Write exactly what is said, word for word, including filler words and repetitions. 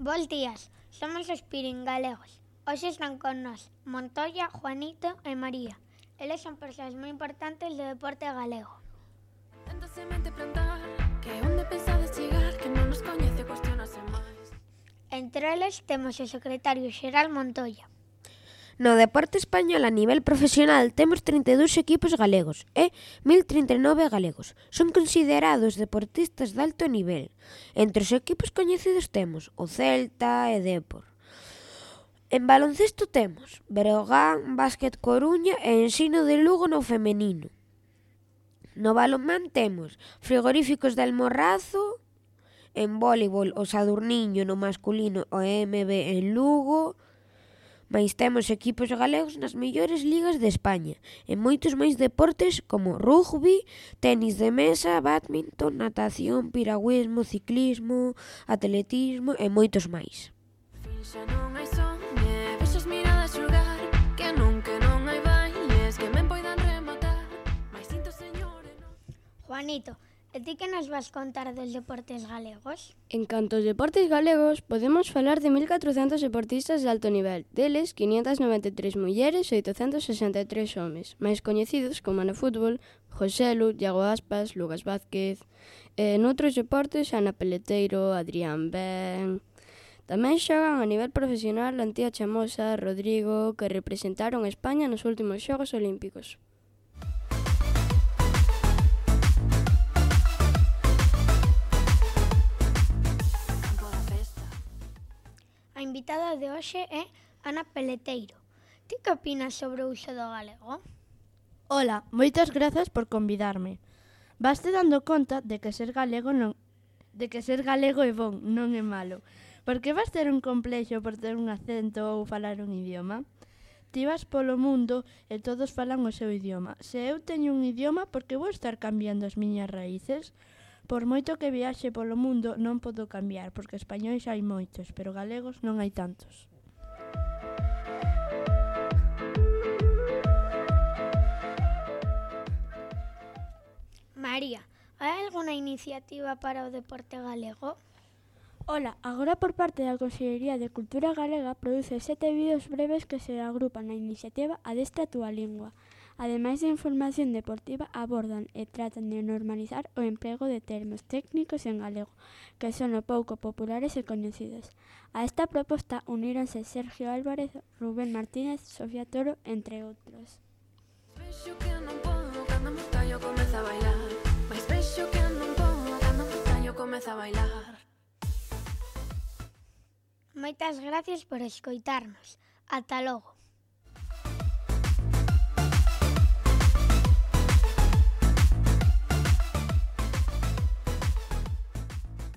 Bos días, somos os Piringalegos. Hoxe están con nós Montoya, Juanito e María. Eles son persoas moi importantes do deporte galego. Tanta semente plantar, que onde pensades chegar, que non nos coñece cuestionase máis. Entre eles temos o secretario xeral Montoya. No deporte español a nivel profesional temos trinta e dous equipos galegos e mil trinta e nove galegos. Son considerados deportistas de alto nivel. Entre os equipos coñecidos temos o Celta e Dépor. En baloncesto temos Breogán, Básquet Coruña e Ensino de Lugo no feminino. No balonmán temos Frigoríficos de Almorrazo, en voleibol o Sadurniño no masculino o E M B en Lugo, mais temos equipos galegos nas mellores ligas de España, en moitos máis deportes como rugby, tenis de mesa, bádminton, natación, piragüismo, ciclismo, atletismo e moitos máis. Finxa non hai son, e vexas miradas xulgar, que non, que non hai bailes, que me poidan rematar, mais sinto señor e non... Juanito, e ti que nos vas contar dos deportes galegos? En canto aos deportes galegos, podemos falar de mil catrocentos deportistas de alto nivel, deles quinientas noventa e tres mulleres e oitocentos sesenta e tres homes, máis coñecidos como no fútbol, Joselu, Iago Aspas, Lucas Vázquez, e noutros deportes Ana Peleteiro, Adrián Ben. Tamén xogan a nivel profesional Antía Chamosa, Rodrigo, que representaron a España nos últimos Xogos Olímpicos. A invitada de hoxe é Ana Peleteiro. Ti que opinas sobre o uso do galego? Ola, moitas grazas por convidarme. Vaste dando conta de que ser galego non de que ser galego é bon, non é malo. Porque vas ter un complexo por ter un acento ou falar un idioma? Ti vas polo mundo e todos falan o seu idioma. Se eu teño un idioma, por que vou estar cambiando as miñas raíces? Por moito que viaxe polo mundo non podo cambiar, porque españois hai moitos, pero galegos non hai tantos. María, hai algunha iniciativa para o deporte galego? Ola, agora por parte da Consellería de Cultura Galega produce sete vídeos breves que se agrupan na iniciativa Adestra a túa lingua. Ademais de información deportiva, abordan e tratan de normalizar o emprego de termos técnicos en galego, que son o pouco populares e coñecidos. A esta proposta uníronse Sergio Álvarez, Rubén Martínez, Sofía Toro, entre outros. Vexo que non podo, cando me callo comeza a bailar, mais vexo que non podo, cando me callo comeza a bailar. Moitas gracias por escoitarnos. Ata logo.